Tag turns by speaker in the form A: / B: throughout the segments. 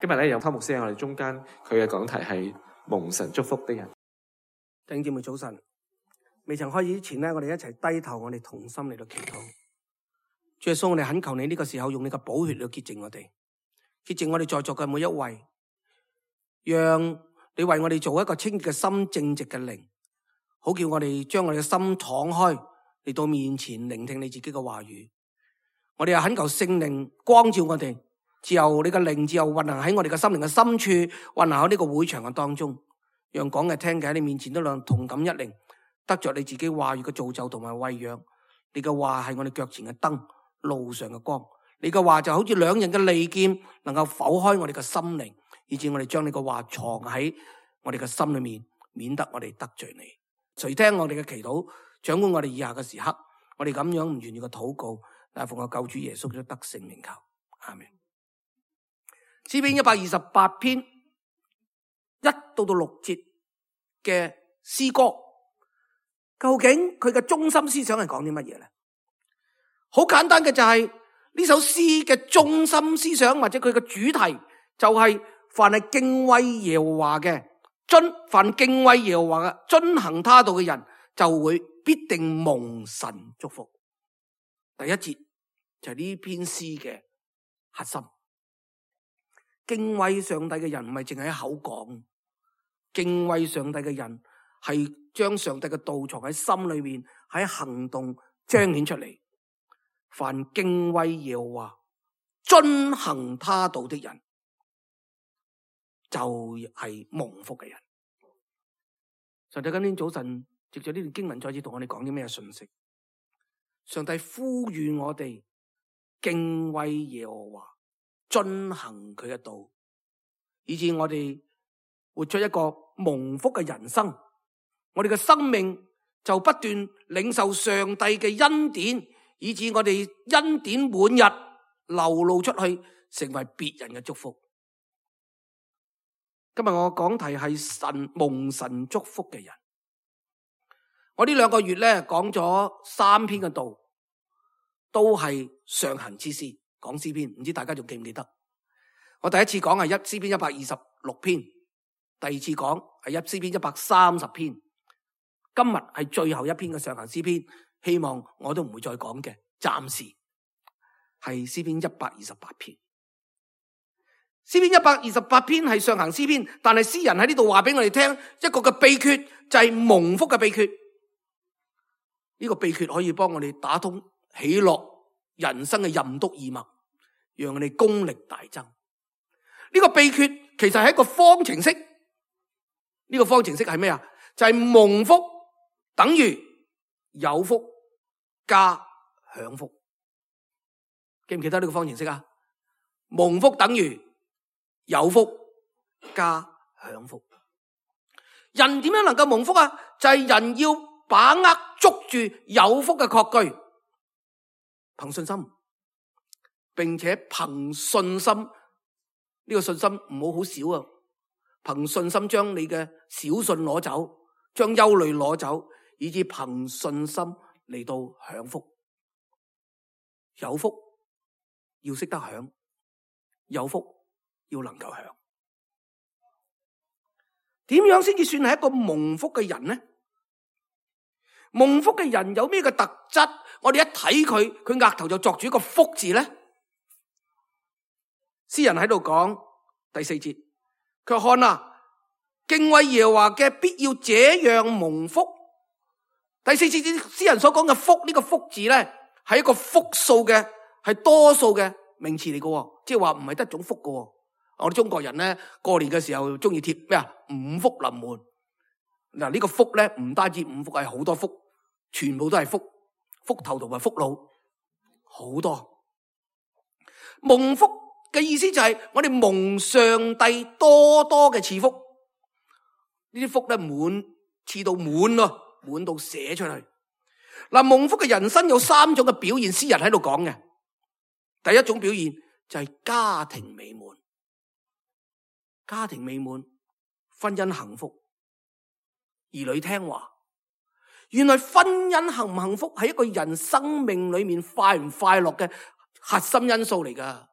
A: 今日咧有湯牧師喺我哋中間，佢嘅講題係蒙神祝福的人。
B: 弟兄姊妹早晨，未曾開始之前咧，我哋一齊低頭，我哋同心嚟到祈禱。主耶穌，我哋懇求你呢個時候用你嘅寶血嚟潔淨我哋，潔淨我哋在座嘅每一位，讓你為我哋做一個清潔嘅心、正直嘅靈，好叫我哋將我哋嘅心敞開嚟到面前聆聽你自己嘅話語。我哋又懇求聖靈光照我哋，自由你嘅靈自由運行喺我哋嘅心靈嘅深處，運行喺呢個會場嘅當中，讓講嘅聽嘅喺你面前都能同感一靈，得着你自己話語嘅造就同埋餵養。你嘅話係我哋腳前嘅燈，路上嘅光。你嘅話就好似兩刃嘅利劍，能夠剖開我哋嘅心靈，以致我哋將你嘅話藏喺我哋嘅心裏面，免得我哋得罪你。垂聽我哋嘅祈禱，掌管我哋以下嘅時刻，我哋咁樣唔願意嘅禱告，但係奉我救主耶穌基督得勝名求，阿們。詩篇128篇1到6節嘅詩歌，究竟佢嘅中心思想係講啲乜嘢咧？好簡單嘅就係呢首詩嘅中心思想或者佢嘅主題就係凡係敬畏耶和華嘅，凡敬畏耶和華嘅遵行他道嘅人就會必定蒙神祝福。第一節就係呢篇詩嘅核心。敬畏上帝嘅人唔係淨係喺口講，敬畏上帝嘅人係將上帝嘅道藏喺心裏面，喺行動彰顯出嚟。凡敬畏耶和華、遵行他道的人，就係蒙福嘅人。上帝今天早晨藉着呢段經文再次同我哋講啲咩信息？上帝呼籲我哋敬畏耶和華，遵行佢嘅道，以致我哋活出一個蒙福嘅人生。我哋嘅生命就不斷領受上帝嘅恩典，以致我哋恩典滿溢流露出去，成為別人嘅祝福。今日我講題係蒙神祝福嘅人。我呢2個月咧講咗3篇嘅道，都係上行之詩，講詩篇，唔知大家仲記唔記得？我第一次講係詩篇126篇，第二次講係詩篇130篇，今日係最後一篇嘅上行詩篇，希望我都唔會再講嘅，暫時係詩篇128篇。詩篇128篇係上行詩篇，但係詩人喺呢度話俾我哋聽一個嘅秘訣，就係蒙福嘅秘訣。呢個秘訣可以幫我哋打通喜樂人生嘅任督二脈，讓我哋功力大增。呢個秘訣其實係一個方程式。呢個方程式係咩啊？就係蒙福等於有福加享福。記唔記得呢個方程式啊？蒙福等於有福加享福。人點樣能夠蒙福啊？就係人要把握捉住有福嘅確據，憑信心，並且憑信心，呢個信心唔好少啊！憑信心將你嘅小信攞走，將憂慮攞走，以致憑信心嚟到享福。有福要識得享，有福要能夠享。點樣先至算係一個蒙福嘅人呢？蒙福嘅人有咩嘅特質？我哋一睇佢額頭就作住一個福字呢？詩人喺度講第4節，佢話看啊，敬畏耶和華嘅必要這樣蒙福。第4節詩人所講嘅福，呢個福字呢，係一個複數嘅，係多數嘅名詞嚟嘅，即係話唔係得種福嘅。我哋中國人呢，過年嘅時候中意貼咩啊？五福臨門。嗱，呢個福呢，唔單止5福，係好多福，全部都係福，福頭同埋福腦，好多。蒙福嘅意思就係我哋蒙上帝多多嘅賜福，呢啲福咧賜到滿咯，滿到寫出去。嗱，蒙福嘅人生有3種嘅表現，詩人喺度講嘅。第一種表現就係家庭美滿，家庭美滿，婚姻幸福，兒女聽話。原來婚姻幸唔幸福係一個人生命裏面快唔快樂嘅核心因素嚟噶。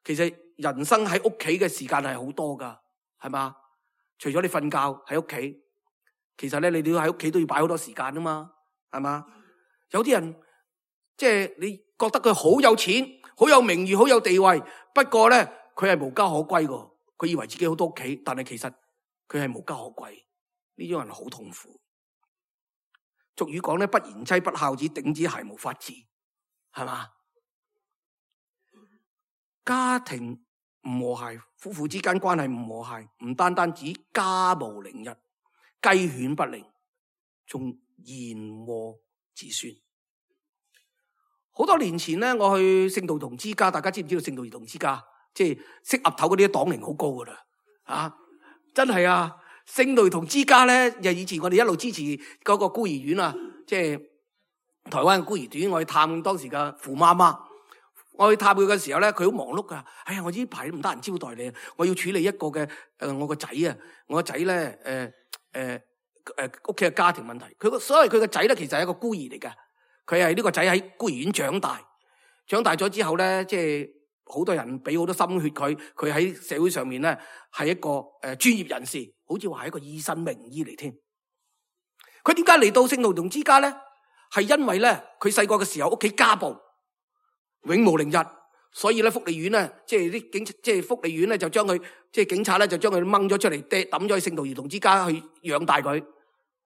B: 其實人生喺屋企嘅時間係好多噶，係嘛？除咗你瞓覺喺屋企，其實咧你都要喺屋企都要擺好多時間啊嘛，係嘛？有啲人即係你覺得佢好有錢、好有名譽、好有地位，不過咧佢係無家可歸噶，佢以為自己好多屋企，但係其實佢係無家可歸。呢種人好痛苦。俗語講咧，不賢妻不孝子，頂子鞋無法治，係嘛？家庭唔和諧，夫婦之間關係唔和諧，唔單單指家無寧日、雞犬不寧，仲言禍子孫。好多年前咧，我去聖道同之家，大家知唔知道聖道兒童之家？即係識岌頭嗰啲黨齡好高噶啦，啊，真係啊！聖道兒童之家咧，又以前我哋一路支持嗰個孤兒院啊，即係台灣嘅孤兒院，我去探當時嘅傅媽媽。我去探佢嘅時候咧，佢好忙碌噶。哎呀，我呢排唔得閒招待你，我要處理一個嘅我個仔啊，我個仔咧屋企嘅家庭問題。所以佢個仔咧，其實係一個孤兒嚟嘅。佢係呢個仔喺孤兒院長大，長大咗之後咧，即係好多人俾好多心血佢，佢喺社會上面咧係一個專業人士，好似話係一個醫生名醫嚟添。佢點解嚟到聖道兒童之家咧？係因為咧佢細個嘅時候屋企家暴，永無寧日，所以咧福利院咧即係福利院咧就將佢即係警察咧就將佢掹咗出嚟，抌咗去聖道兒童之家去養大佢。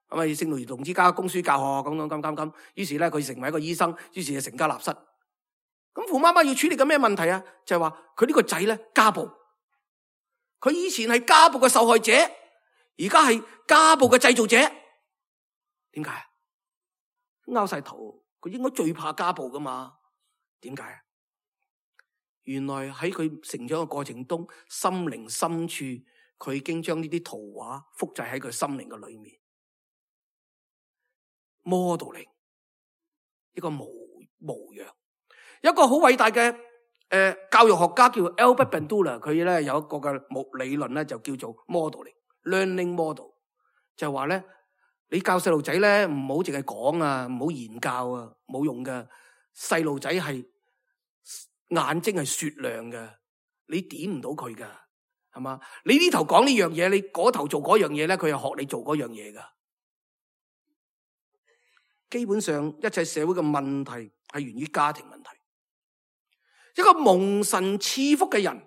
B: 咁啊聖道兒童之家供書教學咁，於是咧佢成為一個醫生，於是就成家立室。咁傅媽媽要處理緊咩問題啊？就係話佢呢個仔咧家暴，佢以前係家暴嘅受害者，而家係家暴嘅製造者。點解？拗晒頭，佢應該最怕家暴噶嘛？點解啊？原來喺佢成長嘅過程中，心靈深處佢已經將呢啲圖畫複製喺佢心靈嘅裏面。modeling 一個模樣，一個好偉大嘅教育學家叫 Albert Bandura， 佢咧有一個嘅理論咧就叫做 modeling，learning model， 就係話咧你教細路仔咧唔好淨係講啊，唔好言教啊，冇用嘅。細路仔係眼睛係雪亮嘅，你點唔到佢噶，係嘛？你呢頭講呢樣嘢，你嗰頭做嗰樣嘢咧，佢又學你做嗰樣嘢噶。基本上一切社會嘅問題係源於家庭問題。一個蒙神賜福嘅人，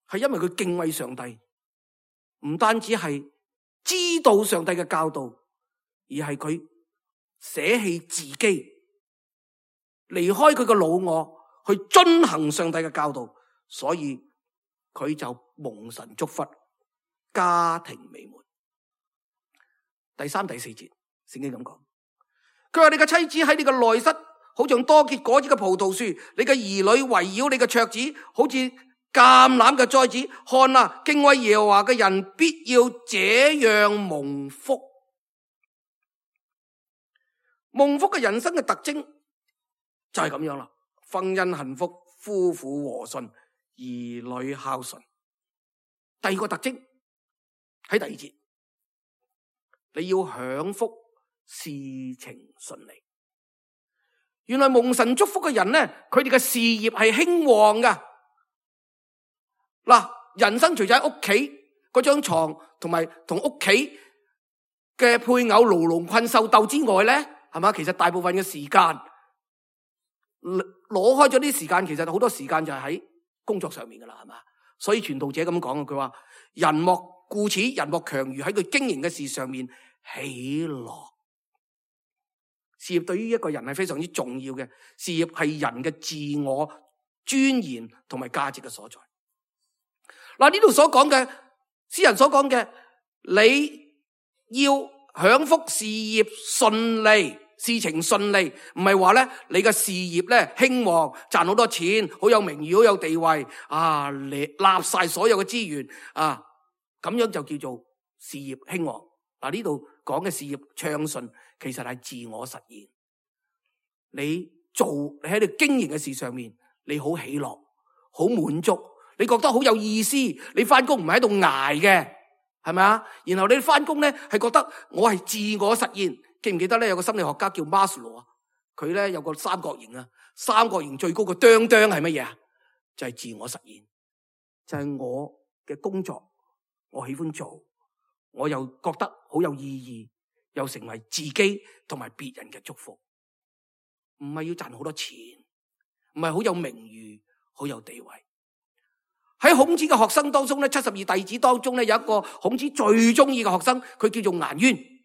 B: 係因為佢敬畏上帝，唔單止係知道上帝嘅教導，而係佢捨棄自己，離開佢嘅老我，去遵行上帝嘅教導，所以佢就蒙神祝福，家庭美滿。第3、第4節聖經咁講。佢話你嘅妻子喺你嘅內室，好像多結果子嘅葡萄樹；你嘅兒女圍繞你嘅桌子，好似橄欖嘅栽子。看啊，敬畏耶和華嘅人必要這樣蒙福。蒙福嘅人生嘅特徵就係咁樣啦，婚姻幸福，夫婦和順，兒女孝順。第二個特徵喺第2節，你要享福，事情順利。原來蒙神祝福嘅人咧，佢哋嘅事業係興旺噶。嗱，人生除咗喺屋企嗰張床同埋同屋企嘅配偶牢籠困獸鬥之外咧，係嘛？其實大部分嘅時間攞開咗啲時間，其實好多時間就係喺工作上面噶啦，係嘛？所以傳道者咁講啊，佢話人莫顧此，人莫強如喺佢經營嘅事上面喜樂。事業對於一個人係非常之重要嘅，事業係人嘅自我尊嚴同埋價值嘅所在。嗱，呢度所講嘅詩人所講嘅，你要享福，事業順利，事情順利，唔係話咧你嘅事業咧興旺，賺好多錢，好有名譽，好有地位啊，你立晒所有嘅資源啊，咁樣就叫做事業興旺。嗱，呢度講嘅事業暢順，其實係自我實現。你喺你經營嘅事上面，你好喜樂，好滿足，你覺得好有意思。你翻工唔係喺度捱嘅，係咪啊？然後你翻工咧係覺得我係自我實現。記唔記得咧？有個心理學家叫 Maslow 啊，佢咧有個三角形啊，三角形最高個釘釘係乜嘢啊？就係自我實現。就係我嘅工作，我喜歡做，我又覺得好有意義，又成為自己同埋別人嘅祝福。唔係要賺好多錢，唔係好有名譽，好有地位。喺孔子嘅學生當中咧，72弟子當中咧，有一個孔子最中意嘅學生，佢叫做顏淵。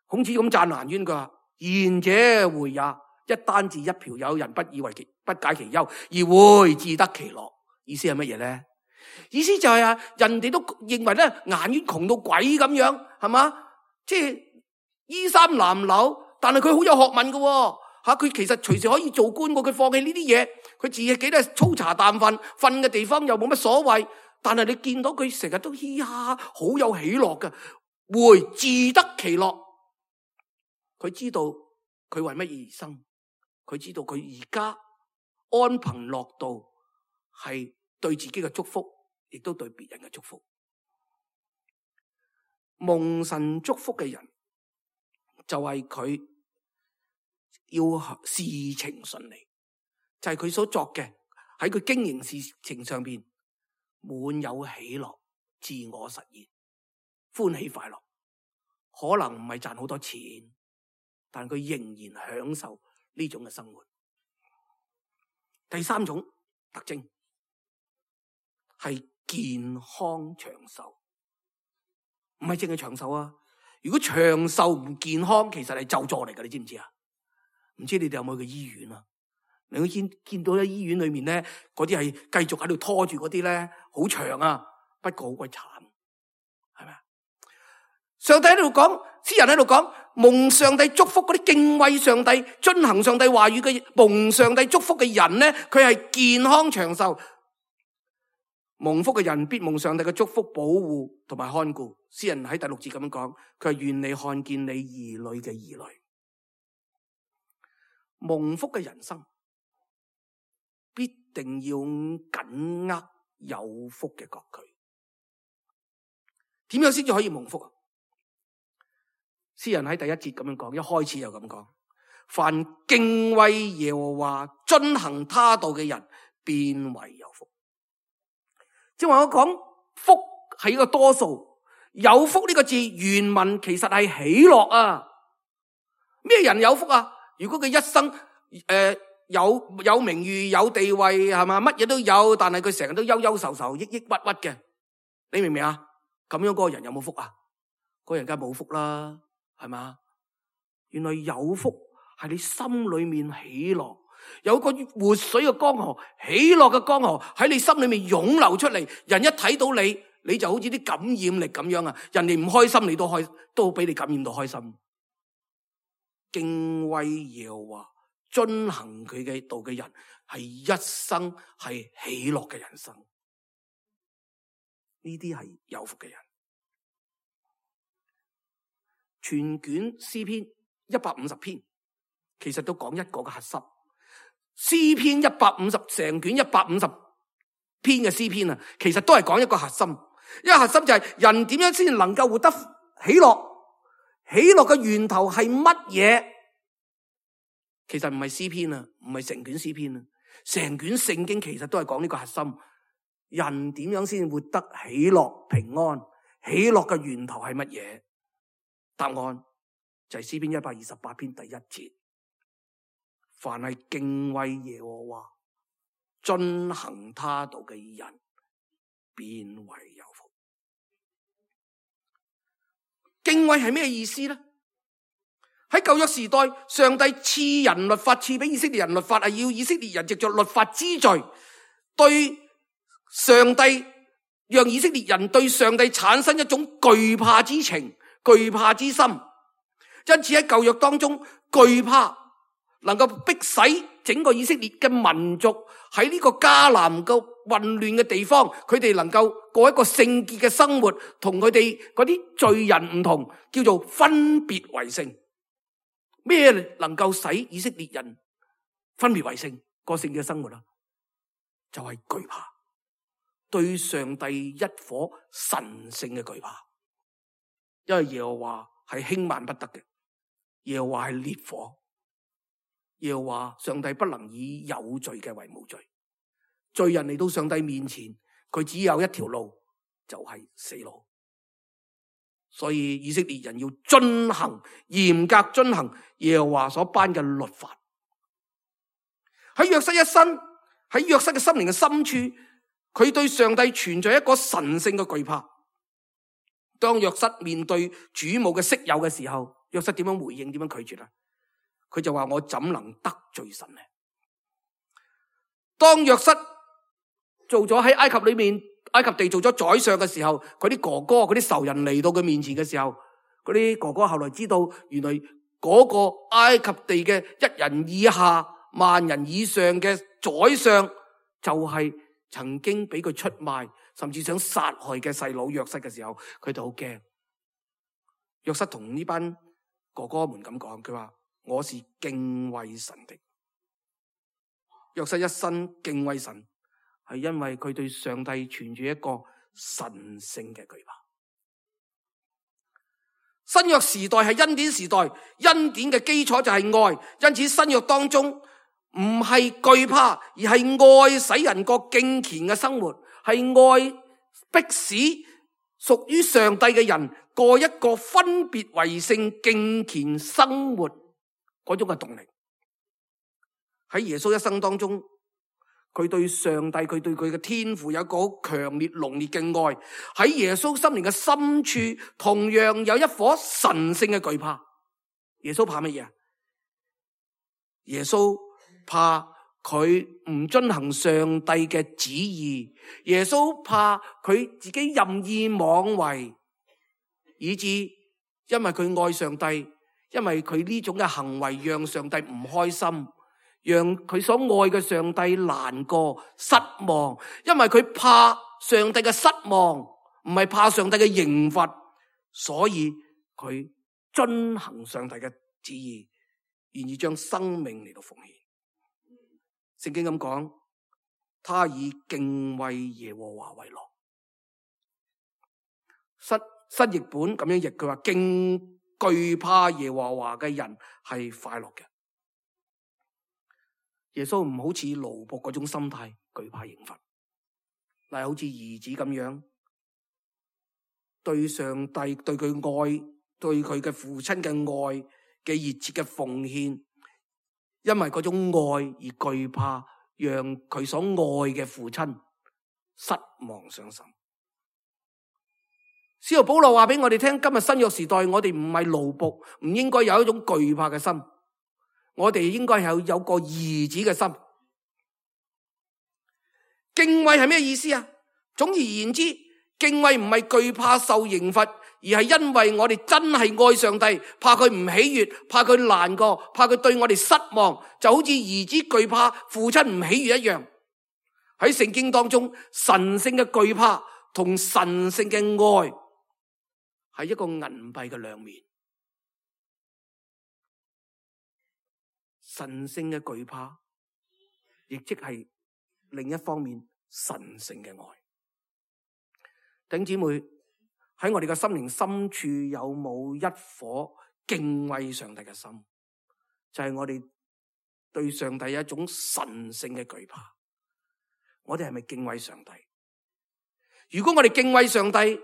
B: 孔子咁讚顏淵，佢話：賢者回也，一簞置一瓢有，人不以為不解其憂，而回自得其樂。意思係乜嘢咧？意思就係人哋都認為咧，顏淵窮到鬼咁樣，係嘛？即係衣衫襤褸，但係佢好有學問嘅。佢其實隨時可以做官嘅，佢放棄呢啲嘢，佢自己都係粗茶淡飯，瞓嘅地方又冇乜所謂。但係你見到佢成日都嘻哈，好有喜樂嘅，回自得其樂。佢知道佢為乜而生，佢知道佢而家安貧樂道係對自己嘅祝福，亦都對別人嘅祝福。蒙神祝福嘅人就係佢要事情順利，就係佢所作嘅喺佢經營事情上邊滿有喜樂、自我實現、歡喜快樂。可能唔係賺好多錢，但佢仍然享受呢種嘅生活。第三種特徵係健康長壽，唔係淨係長壽啊！如果長壽唔健康，其實係咒詛嚟㗎，你知唔知啊？唔知你哋有冇去醫院啊？你會見到喺醫院裏面咧，嗰啲係繼續喺度拖住嗰啲咧，好長啊，不過好鬼慘，係咪啊？上帝喺度講，詩人喺度講，蒙上帝祝福嗰啲敬畏上帝、遵行上帝話語嘅蒙上帝祝福嘅人咧，佢係健康長壽。蒙福嘅人必蒙上帝嘅祝福保護同埋看顧。詩人喺第6節咁樣講，佢係願你看見你兒女嘅兒女。蒙福嘅人生必定要緊握有福嘅各據。點樣先至可以蒙福啊？詩人喺第1節咁樣講，一開始就咁講：凡敬畏耶和華、遵行他道嘅人，便為有福。即係話我講福係一個多數，有福呢個字原文其實係喜樂啊。咩人有福啊？如果佢一生有名譽、有地位，係嘛，乜嘢都有，但係佢成日都憂憂愁愁、抑抑鬱鬱嘅，你明唔明啊？咁樣嗰個人有冇福啊？嗰個人梗係冇福啦，係嘛？原來有福係你心裏面喜樂，有個活水嘅江河，喜樂嘅江河喺你心裏面湧流出嚟，人一睇到你，你就好似啲感染力咁樣啊！人哋唔開心，你都俾你感染到開心。敬畏耶和華、遵行佢嘅道嘅人，係一生係喜樂嘅人生。呢啲係有福嘅人。全卷詩篇150篇，其實都講一個嘅核心。詩篇150成卷150篇嘅詩篇啊，其實都係講一個核心。一個核心就係人點樣先能夠活得喜樂？喜樂嘅源頭係乜嘢？其實唔係詩篇啊，唔係成卷詩篇啊，成卷聖經其實都係講呢個核心。人點樣先活得喜樂平安？喜樂嘅源頭係乜嘢？答案就係詩篇128篇第1節。凡係敬畏耶和華、遵行他道嘅人，便為有福。敬畏係咩意思呢？喺舊約時代，上帝賜人律法，賜俾以色列人律法，係要以色列人藉着律法知罪，對上帝，讓以色列人對上帝產生一種懼怕之情、懼怕之心。因此喺舊約當中，懼怕能夠迫使整個以色列嘅民族喺呢個迦南嘅混亂嘅地方，佢哋能夠過一個聖潔嘅生活，同佢哋嗰啲罪人唔同，叫做分別為聖。咩能夠使以色列人分別為聖、過聖潔嘅生活啊？就係懼怕，對上帝一顆神聖嘅懼怕。因為耶和華係輕慢不得嘅，耶和華係烈火，耶和華上帝不能以有罪嘅為無罪。罪人嚟到上帝面前，佢只有一條路，就係死路。所以以色列人要嚴格遵行耶和華所頒嘅律法。喺約瑟一生，喺約瑟嘅心靈嘅深處，佢對上帝存在一個神聖嘅懼怕。當約瑟面對主母嘅色誘嘅時候，約瑟點樣回應？點樣拒絕啊？佢就話：我怎能得罪神呢？當約瑟做咗喺埃及裏面，埃及地做咗宰相嘅時候，佢啲哥哥、佢啲仇人嚟到佢面前嘅時候，嗰啲哥哥後來知道，原來嗰個埃及地嘅1人以下、萬人以上嘅宰相，就係曾經俾佢出賣，甚至想殺害嘅細佬約瑟嘅時候，佢哋好驚。約瑟同呢班哥哥們咁講，佢話：我是敬畏神的。約瑟一生敬畏神，係因為佢對上帝存住一個神聖嘅懼怕。新約時代係恩典時代，恩典嘅基礎就係愛，因此新約當中唔係懼怕，而係愛使人過敬虔嘅生活，係愛迫使屬於上帝嘅人過一個分別為聖敬虔生活嗰種嘅動力。喺耶穌一生當中，佢對上帝，佢對佢嘅天父有一個好強烈濃烈嘅愛。喺耶穌心靈嘅深處，同樣有一顆神聖嘅懼怕。耶穌怕乜嘢啊？耶穌怕佢唔遵行上帝嘅旨意，耶穌怕佢自己任意妄為，以致因為佢愛上帝，因為佢呢種嘅行為讓上帝唔開心，讓佢所愛嘅上帝難過失望，因為佢怕上帝嘅失望，唔係怕上帝嘅刑罰，所以佢遵行上帝嘅旨意，願意將生命嚟到奉獻。聖經咁講，他以敬畏耶和華為樂。新譯本咁樣譯，佢話懼怕耶和華嘅人係快樂嘅。耶穌唔好似奴僕嗰種心態，懼怕刑罰，但係好似兒子咁樣，對上帝、對佢愛、對佢嘅父親嘅愛嘅熱切嘅奉獻，因為嗰種愛而懼怕，讓佢所愛嘅父親失望傷心。使徒保羅話俾我哋聽，今日新約時代，我哋唔係奴僕，唔應該有一種懼怕嘅心。我哋應該有個兒子嘅心。敬畏係咩意思啊？總而言之，敬畏唔係懼怕受刑罰，而係因為我哋真係愛上帝，怕佢唔喜悅，怕佢難過，怕佢對我哋失望，就好似兒子懼怕父親唔喜悅一樣。喺聖經當中，神聖嘅懼怕同神聖嘅愛係一個銀幣嘅兩面。神聖嘅懼怕，亦即係另一方面神聖嘅愛。弟兄姊妹，喺我哋嘅心靈深處有冇一顆敬畏上帝嘅心？就係我哋對上帝有一種神聖嘅懼怕。我哋係咪敬畏上帝？如果我哋敬畏上帝，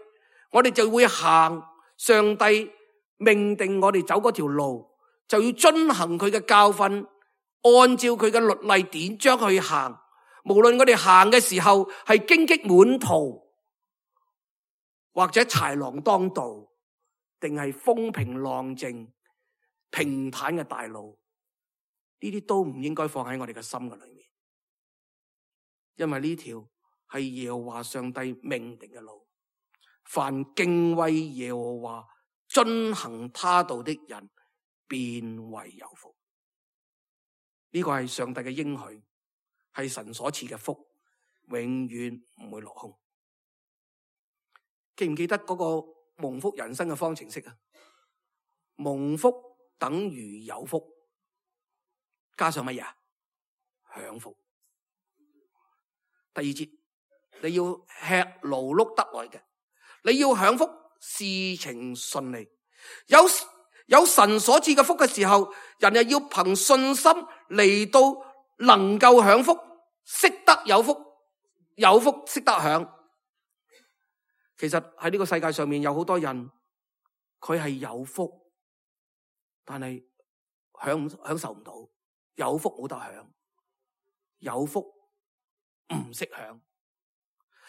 B: 我哋就會行上帝命定我哋走嗰條路，就要遵行佢嘅教訓，按照佢嘅律例典章去行。無論我哋行嘅時候係荊棘滿途，或者豺狼當道，定係風平浪靜、平坦嘅大路，呢啲都唔應該放喺我哋嘅心嘅裏面，因為呢條係耶和華上帝命定嘅路。凡敬畏耶和華、遵行他道的人，便為有福。呢個係上帝嘅應許，係神所賜嘅福，永遠唔會落空。記唔記得嗰個蒙福人生嘅方程式啊？蒙福等於有福，加上乜嘢？享福。第二節，你要吃勞碌得來嘅，你要享福，事情順利。有神所賜嘅福嘅時候，人又要憑信心嚟到能夠享福，識得有福，有福識得享。其實喺呢個世界上面有好多人，佢係有福，但係享受唔到。有福冇得享，有福唔識享。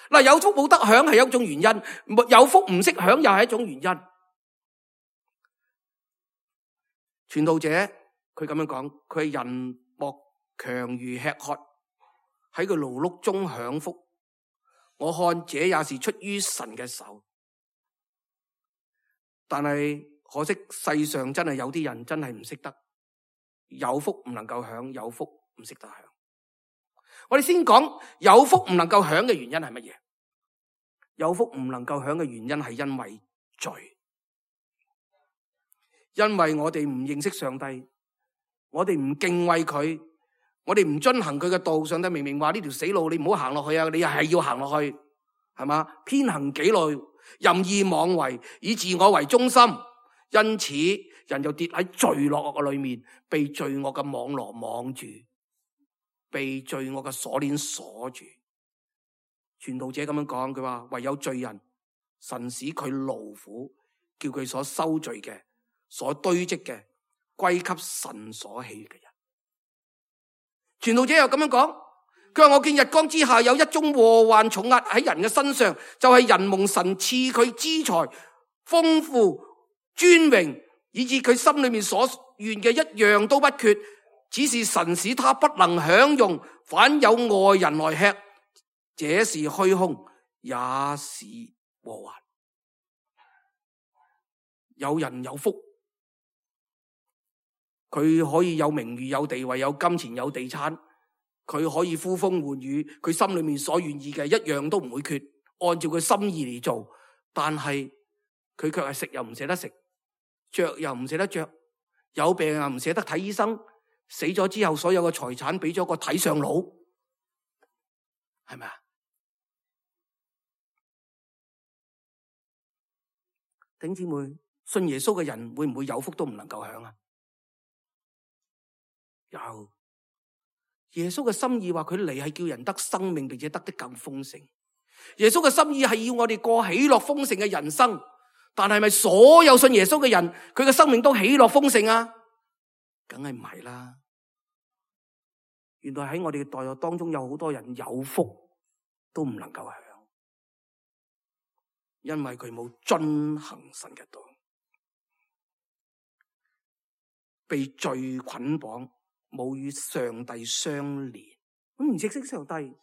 B: 嗱，有福冇得享係一種原因，有福唔識享又係一種原因。傳道者佢咁樣講，佢係人莫強如吃喝，喺佢勞碌中享福。我看這也是出於神嘅手，但係可惜世上真係有啲人真係唔識得，有福唔能夠享，有福唔識得享。我哋先講有福唔能夠享嘅原因係乜嘢？有福唔能夠享嘅原因係因為罪，因為我哋唔認識上帝，我哋唔敬畏佢，我哋唔遵行佢嘅道。上帝明明話呢條死路你唔好行落去啊，你又係要行落去，係嘛？偏行己路，任意妄為，以自我為中心，因此人就跌喺罪惡嘅裏面，被罪惡嘅網羅網住，被罪惡嘅鎖鏈鎖住。傳道者咁樣講，佢話唯有罪人，神使佢勞苦，叫佢所收罪嘅、所堆積嘅歸給神所喜嘅人。傳道者又咁樣講，佢話我見日光之下有一宗禍患重壓喺人嘅身上，就係人蒙神賜佢資財豐富尊榮，以致佢心裏面所願嘅一樣都不缺，只是神使他不能享用，反有外人來吃，這是虛空，也是禍患。有人有福，佢可以有名譽、有地位、有金錢、有地產，佢可以呼風喚雨，佢心裏面所願意嘅一樣都唔會缺，按照佢心意嚟做。但係佢卻係食又唔捨得食，着又唔捨得着，有病又唔捨得睇醫生，死咗之後所有嘅財產俾咗個睇相佬，係咪啊？弟兄姊妹，信耶穌嘅人會唔會有福都唔能夠享啊？有。耶穌嘅心意話佢嚟係叫人得生命，並且得的更豐盛。耶穌嘅心意係要我哋過喜樂豐盛嘅人生，但係咪所有信耶穌嘅人佢嘅生命都喜樂豐盛啊？梗係唔係啦。原來喺我哋嘅代學當中有好多人有福都唔能夠享，因為佢冇遵行神嘅道，被罪捆綁，冇與上帝相連。咁唔認識上帝，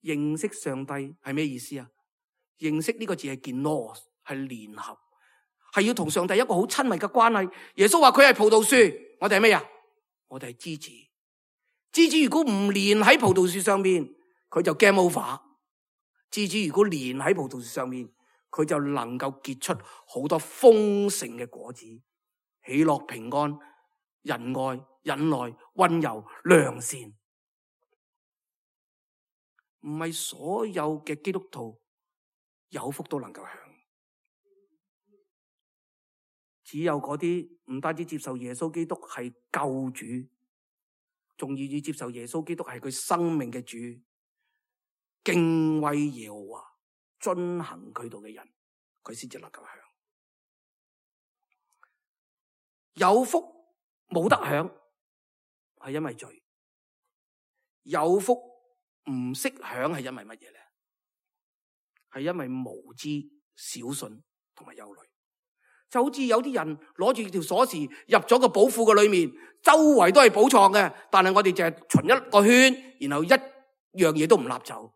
B: 認識上帝係咩意思啊？認識呢個字係genosis，係聯合，係要同上帝一個好親密嘅關係。耶穌話佢係葡萄樹，我哋係咩啊？我哋係枝子。枝子如果唔連喺葡萄樹上面，佢就 game over。枝子如果連喺葡萄樹上面，佢就能夠結出好多豐盛嘅果子，喜樂、平安、仁愛、忍耐、溫柔、良善。唔係所有嘅基督徒有福都能夠享，只有嗰啲唔單止接受耶穌基督係救主，仲願意接受耶穌基督係佢生命嘅主，敬畏耶和華，遵行佢道嘅人，佢先至能夠享。有福冇得享，係因為罪；有福唔識享，係因為乜嘢咧？係因為無知、小信同埋憂慮。就好似有啲人攞住條鎖匙入咗個寶庫嘅裏面，周圍都係寶藏嘅，但係我哋就係循一個圈，然後一樣嘢都唔立走。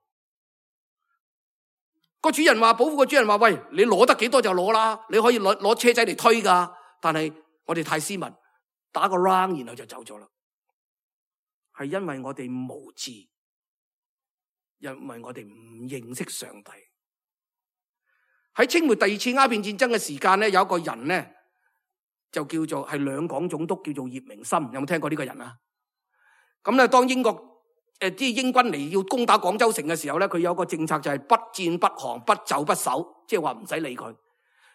B: 個主人話，寶庫個主人話，喂，你攞得幾多就攞啦，你可以攞車仔嚟推噶，但係我哋太斯文，打個 round 然後就走咗啦。係因為我哋無知，因為我哋唔認識上帝。喺清末第二次鴉片戰爭嘅時間咧，有一個人咧就叫做係兩港總督，叫做葉明琛，有冇聽過呢個人啊？咁咧，當英國啲英軍嚟要攻打廣州城嘅時候咧，佢有個政策就係不戰不降，不走不守，即係話唔使理佢。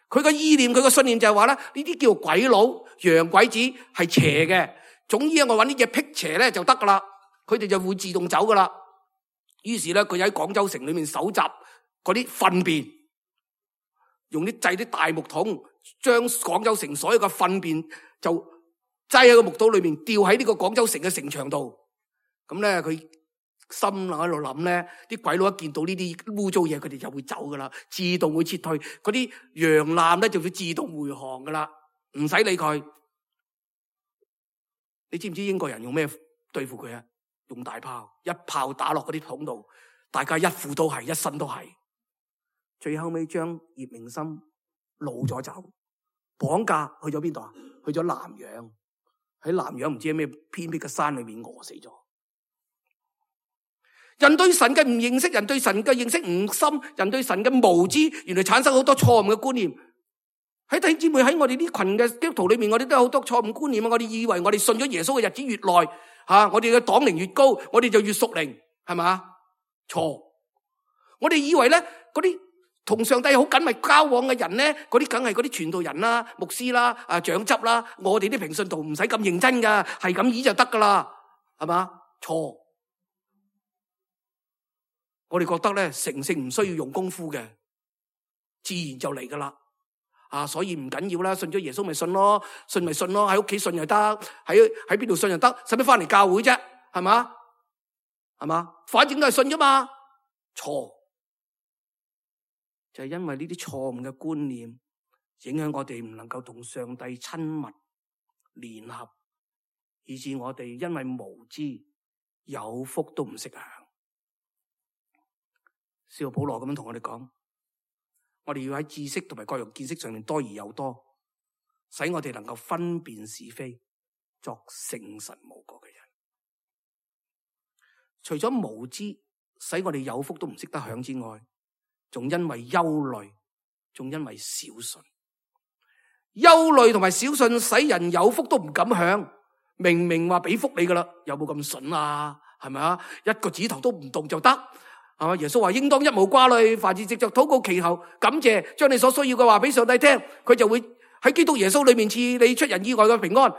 B: 佢個意念，佢個信念就係話咧，呢啲叫鬼佬、洋鬼子係邪嘅，總之我搵啲嘢辟邪咧就得噶啦，佢哋就會自動走噶啦。於是咧，佢喺廣州城裏面搜集嗰啲糞便，用啲製啲大木桶，將廣州城所有嘅糞便就擠喺個木桶裏面，吊喺呢個廣州城嘅城牆度。咁咧，佢心喺度諗咧，啲鬼佬一見到呢啲污糟嘢，佢哋就會走噶啦，自動會撤退。嗰啲洋艦咧就會自動回航噶啦，唔使理佢。你知唔知英國人用咩對付佢啊？用大炮，一炮打落嗰啲桶度，大家一副都係，一身都係。最後尾將葉明心擄咗走，綁架去咗邊度啊？去咗南洋，喺南洋唔知喺咩偏僻嘅山裏面餓死咗。人對神嘅唔認識，人對神嘅認識唔深，人對神嘅無知，原來產生好多錯誤嘅觀念。喺弟兄姊妹，喺我哋呢群嘅基督徒裏面，我哋都有好多錯誤觀念啊！我哋以為我哋信咗耶穌嘅日子越耐，我哋嘅黨齡越高，我哋就越屬靈，係嘛？錯！我哋以為咧，嗰啲同上帝好緊密交往嘅人咧，嗰啲梗係嗰啲傳道人啦、牧師啦、長執啦，我哋啲平信徒唔使咁認真噶，係咁意就得噶啦，係嘛？錯！我哋覺得咧，成聖唔需要用功夫嘅，自然就嚟噶啦。所以唔緊要啦，信咗耶穌咪信咯，信咪信咯，喺屋企信又得，喺邊度信又得，使乜翻嚟教會啫？係嘛？係嘛？反正都係信啫嘛。錯，就係因為呢啲錯誤嘅觀念，影響我哋唔能夠同上帝親密聯合，以致我哋因為無知有福都唔識享。使徒保羅咁樣同我哋講。我哋要喺知識同埋各樣見識上面多而又多，使我哋能夠分辨是非，作聖神無過嘅人。除咗無知使我哋有福都唔識得享之外，仲因為憂慮，仲因為小信。憂慮同埋小信使人有福都唔敢享。明明話俾福你噶啦，有冇咁筍啊？係咪啊？一個指頭都唔動就得。耶穌話應當一無掛慮，凡事藉着禱告祈求感謝，將你所需要嘅話俾上帝聽，佢就會喺基督耶穌裏面賜你出人意外嘅平安。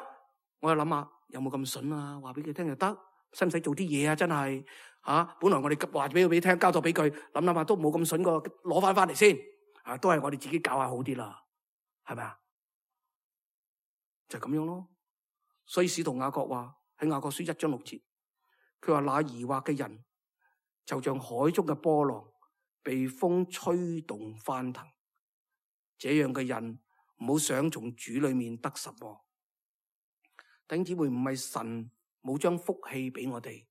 B: 我又諗下有冇咁筍啊？話俾佢聽就得，使唔使做啲嘢啊？真係本來我哋話俾佢聽，交託俾佢，諗下都冇咁筍過，攞翻嚟先。都係我哋自己搞下好啲啦，係咪啊？就咁樣咯。所以使徒雅各話喺雅各書1章6節，佢話那疑惑嘅人，就像海中嘅波浪，被風吹動翻騰。這樣嘅人唔好想從主裏面得什麼。弟兄姊妹，唔係神冇將福氣俾我哋，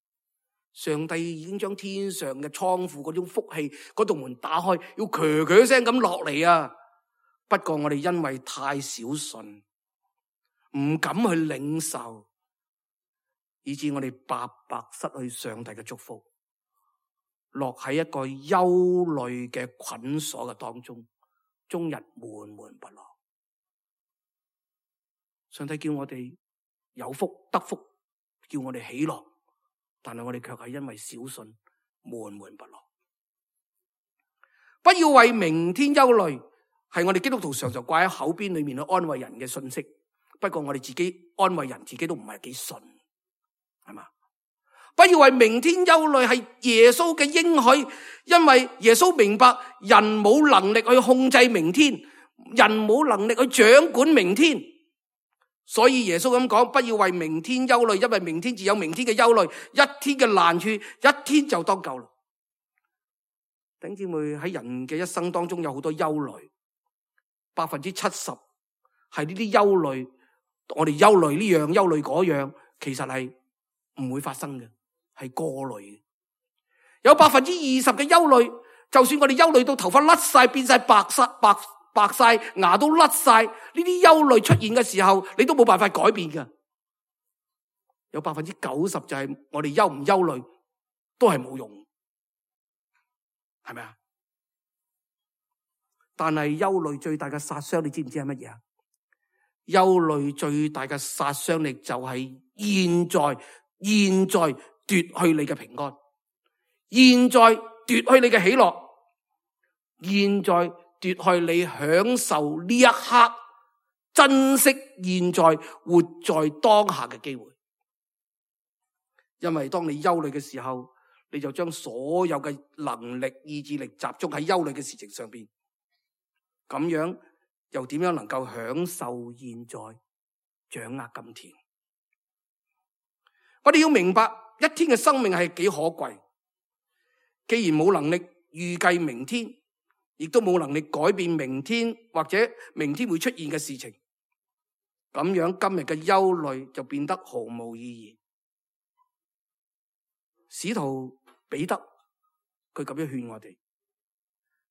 B: 上帝已經將天上嘅倉庫嗰種福氣嗰道門打開，要嘰嘰聲咁落嚟啊！不過我哋因為太小信，唔敢去領受，以致我哋白白失去上帝嘅祝福。落喺一個憂慮嘅捆鎖嘅當中，終日悶悶不樂。上帝叫我哋有福得福，叫我哋喜樂，但係我哋卻係因為小信悶悶不樂。不要為明天憂慮，係我哋基督徒常常掛喺口邊裏面去安慰人嘅信息。不過我哋自己安慰人，自己都唔係幾信，係嘛？不要為明天憂慮，係耶穌嘅應許，因為耶穌明白人冇能力去控制明天，人冇能力去掌管明天，所以耶穌咁講，不要為明天憂慮，因為明天自有明天嘅憂慮，一天嘅難處，一天就當夠啦。弟兄姊妹，喺人嘅一生當中有好多憂慮，70%係呢啲憂慮，我哋憂慮呢樣憂慮嗰樣，其實係唔會發生嘅。係過濾嘅，有20%嘅憂慮，就算我哋憂慮到頭髮甩晒，變晒白晒，牙都甩晒，呢啲憂慮出現嘅時候，你都冇辦法改變嘅。有90%就係我哋憂唔憂慮都係冇用，係咪啊？但係憂慮最大嘅殺傷，你知唔知係乜嘢啊？憂慮最大嘅殺傷力就係現在奪去你嘅平安，現在奪去你嘅喜樂，現在奪去你享受呢一刻，珍惜現在活在當下嘅機會。因為當你憂慮嘅時候，你就將所有嘅能力、意志力集中喺憂慮嘅事情上邊，咁樣又點樣能夠享受現在、掌握今天？我哋要明白，一天嘅生命係幾可貴。既然冇能力預計明天，亦都冇能力改變明天或者明天會出現嘅事情，咁樣今日嘅憂慮就變得毫無意義。使徒彼得佢咁樣勸我哋，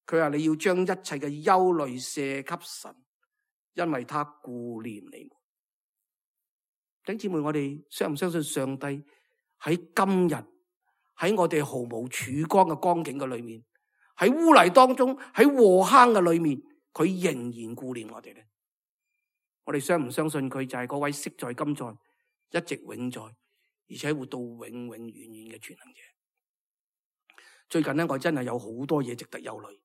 B: 佢話你要將一切嘅憂慮卸給神，因為他顧念你們。弟兄姊妹，我哋相唔相信上帝喺今日喺我哋毫無曙光嘅光景嘅裏面，喺污泥當中，喺禍坑嘅裏面，佢仍然顧念我哋咧？我哋相唔相信佢就係嗰位昔在今在一直永在，而且活到永永遠遠嘅全能者？最近咧，我真係有好多嘢值得憂慮。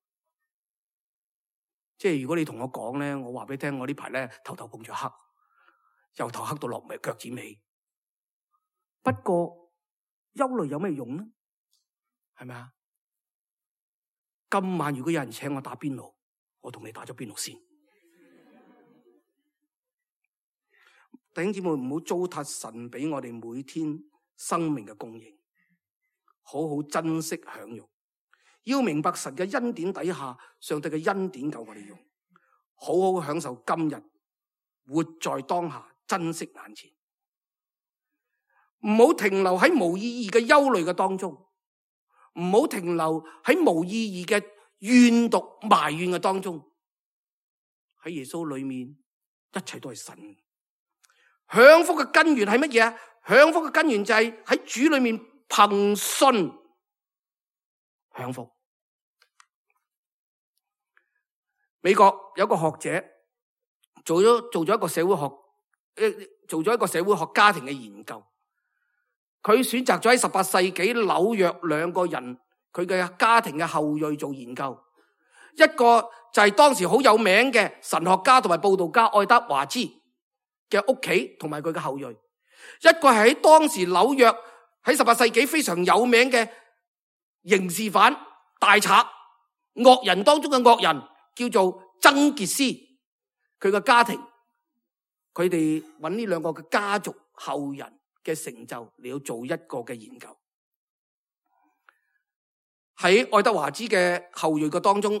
B: 即係如果你同我講咧，我話俾你聽，我呢排咧頭碰住黑，由頭黑到落腳趾尾。不過憂慮有咩用呢？係咪啊？今晚如果有人請我打邊爐，我同你打咗邊爐先。弟兄姊妹，唔好糟蹋神俾我哋每天生命嘅供應，好好珍惜享用。要明白神嘅恩典底下，上帝嘅恩典夠我哋用，好好享受今日，活在當下，珍惜眼前。唔好停留喺無意義嘅憂慮嘅當中，唔好停留喺無意義嘅怨毒埋怨嘅當中。喺耶穌裏面，一切都係神。享福嘅根源係乜嘢啊？享福嘅根源就係喺主裏面憑信享福。美國有一個學者做咗一個社會學家庭嘅研究。佢選擇咗喺18世紀紐約兩個人佢嘅家庭嘅後裔做研究，一個就係當時好有名嘅神學家同埋佈道家愛德華茲嘅屋企同埋佢嘅後裔，一個係喺當時紐約喺18世紀非常有名嘅刑事犯大賊惡人當中嘅惡人，叫做曾傑斯。佢嘅家庭，佢哋揾呢兩個嘅家族後人嘅成就，你要做一個嘅研究。喺愛德華茲嘅後裔嘅當中，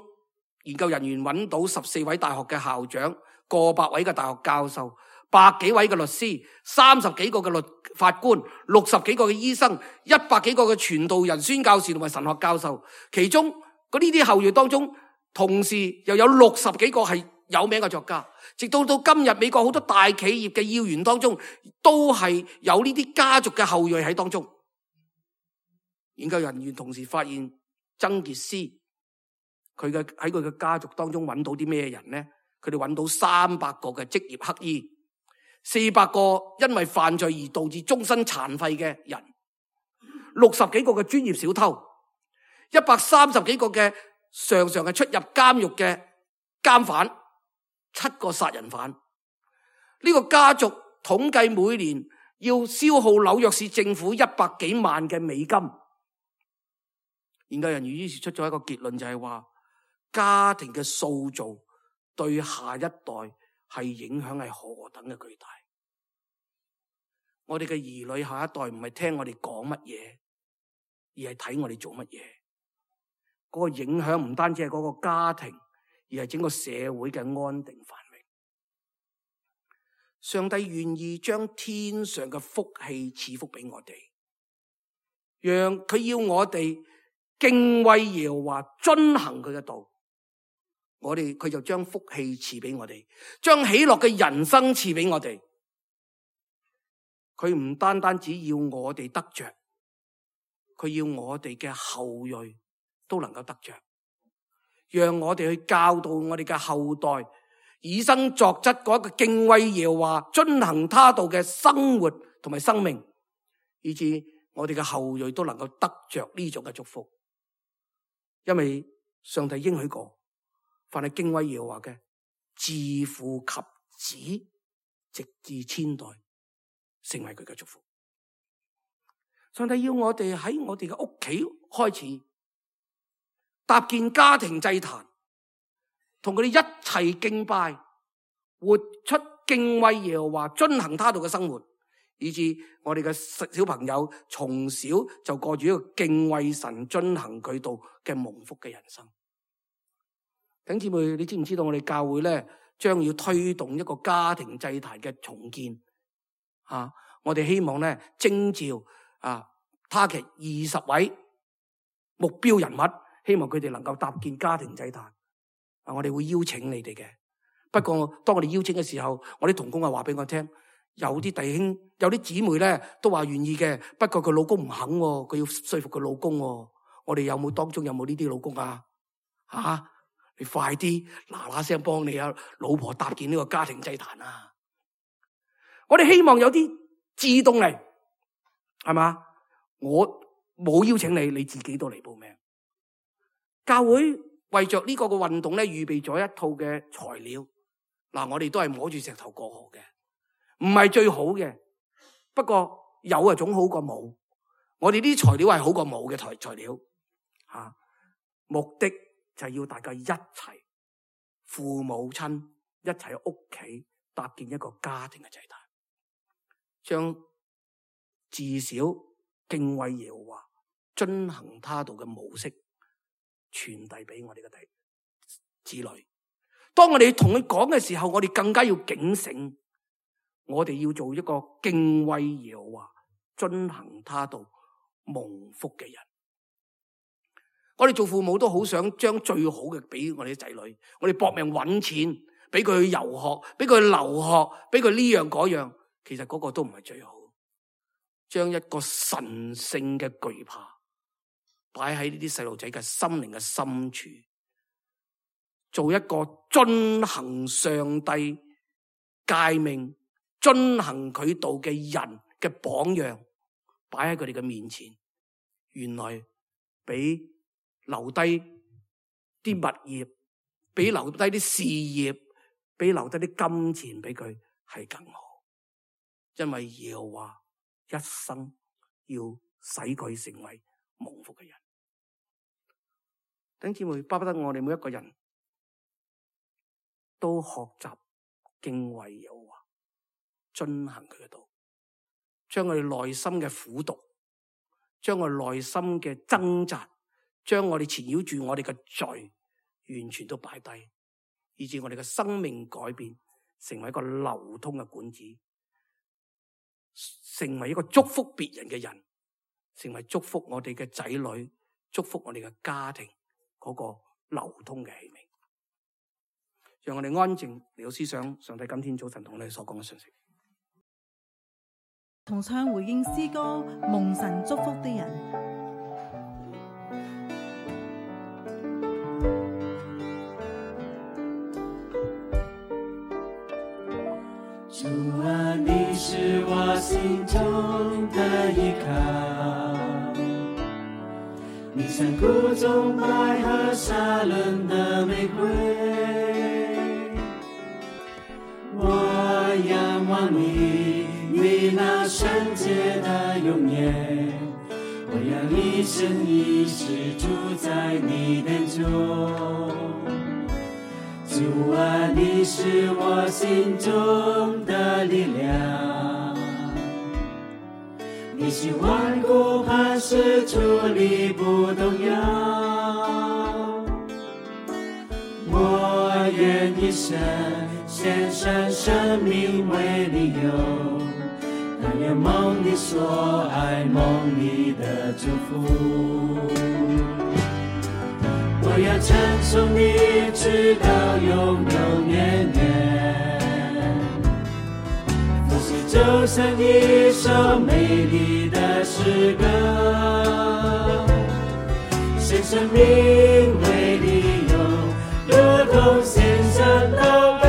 B: 研究人員揾到14位大學嘅校長，過百位嘅大學教授，100幾位嘅律師，30幾個嘅法官，60幾個嘅醫生，100幾個嘅傳道人、宣教士同埋神學教授。其中嗰呢啲後裔當中，同時又有60幾個係有名嘅作家。直到今日，美國好多大企業嘅要員當中，都係有呢啲家族嘅後裔喺當中。研究人員同時發現，曾傑斯喺佢嘅家族當中揾到啲咩人呢？佢哋揾到300個嘅職業乞兒，400個因為犯罪而導致終身殘廢嘅人，60幾個嘅專業小偷，130幾個嘅常常係出入監獄嘅監犯，7個殺人犯。呢個家族統計每年要消耗紐約市政府100幾萬嘅美金。研究人員於是出咗一個結論，就係話家庭嘅塑造對下一代係影響係何等嘅巨大。我哋嘅兒女下一代唔係聽我哋講乜嘢，而係睇我哋做乜嘢。嗰個影響唔單止係嗰個家庭，而係整個社會嘅安定繁榮。上帝願意將天上嘅福氣賜福俾我哋，讓佢要我哋敬畏耶和華，遵行佢嘅道。佢就將福氣賜俾我哋，將喜樂嘅人生賜俾我哋。佢唔單單只要我哋得着，佢要我哋嘅後裔都能夠得着，讓我哋去教導我哋嘅後代，以身作則嗰一個敬畏耶和華、遵行他道嘅生活同埋生命，以致我哋嘅後裔都能夠得着呢種嘅祝福。因為上帝應許過，凡係敬畏耶和華嘅，自父及子，直至千代，成為佢嘅祝福。上帝要我哋喺我哋嘅屋企開始搭建家庭祭壇，同佢哋一齊敬拜，活出敬畏耶和華、遵行他道嘅生活，以致我哋嘅小朋友從小就過住一個敬畏神、遵行佢道嘅蒙福嘅人生。弟兄姊妹，你知唔知道我哋教會咧將要推動一個家庭祭壇嘅重建？我哋希望咧徵召target 20位目標人物，希望佢哋能夠搭建家庭祭壇。我哋會邀請你哋嘅。不過當我哋邀請嘅時候，我啲同工話俾我聽，有啲弟兄、有啲姊妹咧都話願意嘅，不過佢老公唔肯，佢要說服佢老公。我哋當中有冇呢啲老公啊？你快啲嗱聲幫你老婆搭建呢個家庭祭壇啊！我哋希望有啲自動嚟，係嘛？我冇邀請你，你自己都嚟報名。教會為着呢個嘅運動咧，預備咗一套嘅材料。我哋都係摸住石頭過河嘅，唔係最好嘅。不過有總好過冇。我哋呢啲材料係好過冇嘅材料。目的就係要大家一齊，父母親一齊喺屋企搭建一個家庭嘅祭壇，將至少敬畏耶和華、遵行他道嘅模式傳遞俾我哋嘅子女。當我哋同佢講嘅時候，我哋更加要警醒，我哋要做一個敬畏耶和華、遵行他道、蒙福嘅人。我哋做父母都好想將最好嘅俾我哋啲仔女，我哋搏命搵錢，俾佢去遊學，俾佢去留學，俾佢呢樣嗰樣，其實嗰個都唔係最好。將一個神聖嘅懼怕擺喺呢啲細路仔嘅心靈嘅深處，做一個遵行上帝誡命、遵行佢道嘅人嘅榜樣，擺喺佢哋嘅面前。原來比留低啲物業，比留低啲事業，比留低啲金錢俾佢係更好。因為耶和華一生要使佢成為蒙福嘅人。弟兄姊妹，巴不得我哋每一個人都學習敬畏耶和華，遵行佢嘅道，將我哋內心嘅苦毒，將我哋內心嘅掙扎，將我哋纏繞住我哋嘅罪完全都擺低，以致我哋嘅生命改變，成為一個流通嘅管子，成為一個祝福別人嘅人，成為祝福我哋嘅仔女，祝福我哋嘅家庭嗰個流通嘅器皿。讓我哋安靜嚟到思想上帝今天早晨同我哋所講嘅信息。
C: 同唱回應詩歌，蒙神祝福的人。
D: 主啊，你是我心中的依靠，你像谷中百合沙崙的玫瑰，我仰望你，你那圣洁的容颜，我要一生一世住在你殿中。主啊，你是我心中的力量，你是万古磐石，矗立不动摇。我愿一生献上生命为你用，但愿蒙你所爱，蒙你的祝福。我要称颂你直到永永远远，复习周生一首美丽的诗歌，献生命为你用，如同献上祷告。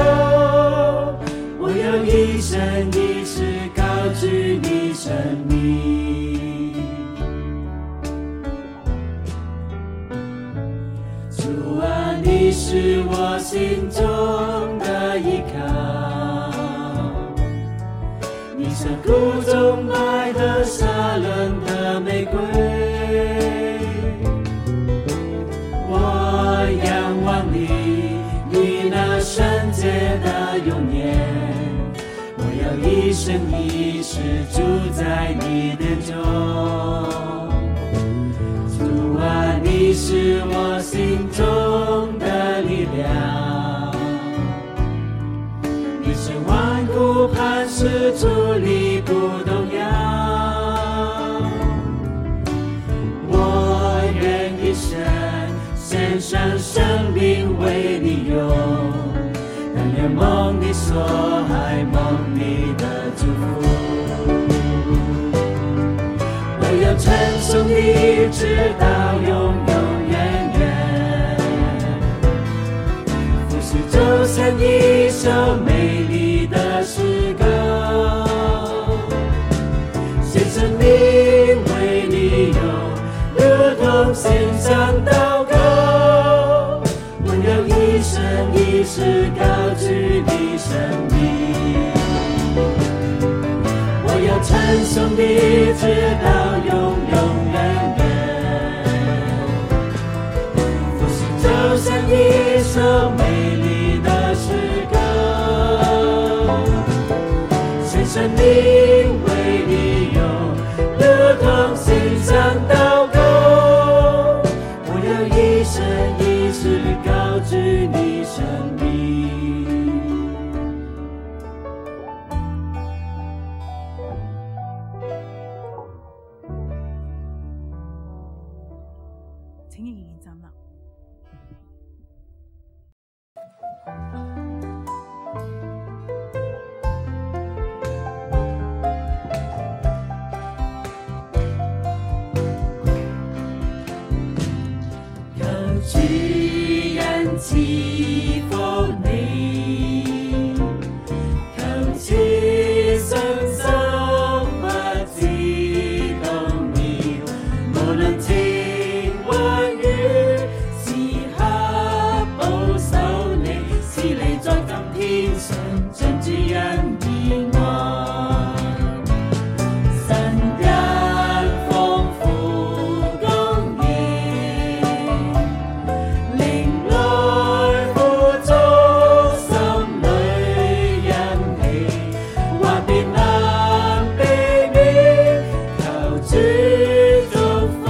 D: 我要一生一世高举你生命。主啊，你是我心中的依靠，你像谷中百合沙崙的归。我仰望你，你那圣洁的永远，我要一生一世住在你殿中。主啊，你是我心中的力量，你是万古磐石，矗立不动摇。我愿一生献上生命为你用，但愿蒙你所爱，蒙你的祝福。我要称颂你直到永永远远，俯视周身一首美丽的诗歌，献生命为你用，如同献上祷告。我要一生一世高举你生命，我要称颂你直到永永远远，俯视周身一首美丽的诗歌，献生命为你用，如同献上祷告。我要一生一世高举你生命。
C: 請仍然站立。
D: 求主恩賜福你，求此信心不致動搖，無論情或雨，時刻保守你，使你在今天上盡主恩義愛。神恩豐富公義，靈來富足心裏欣喜，或別能避免，求主祝福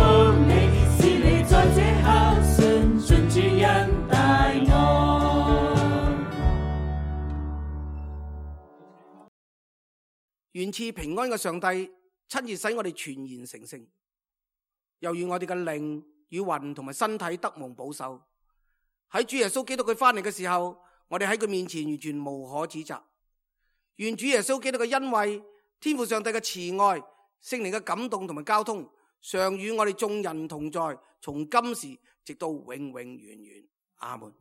D: 你，使你在這刻信盡主恩大愛。
B: 願賜平安嘅上帝親自使我哋全然成聖，又願我哋嘅靈與魂同埋身體得蒙保守。喺主耶穌基督佢翻嚟嘅時候，我哋喺佢面前完全無可指責。願主耶穌基督嘅恩惠、天父上帝嘅慈愛、聖靈嘅感動同埋交通，常與我哋眾人同在，從今時直到永永遠遠。阿門。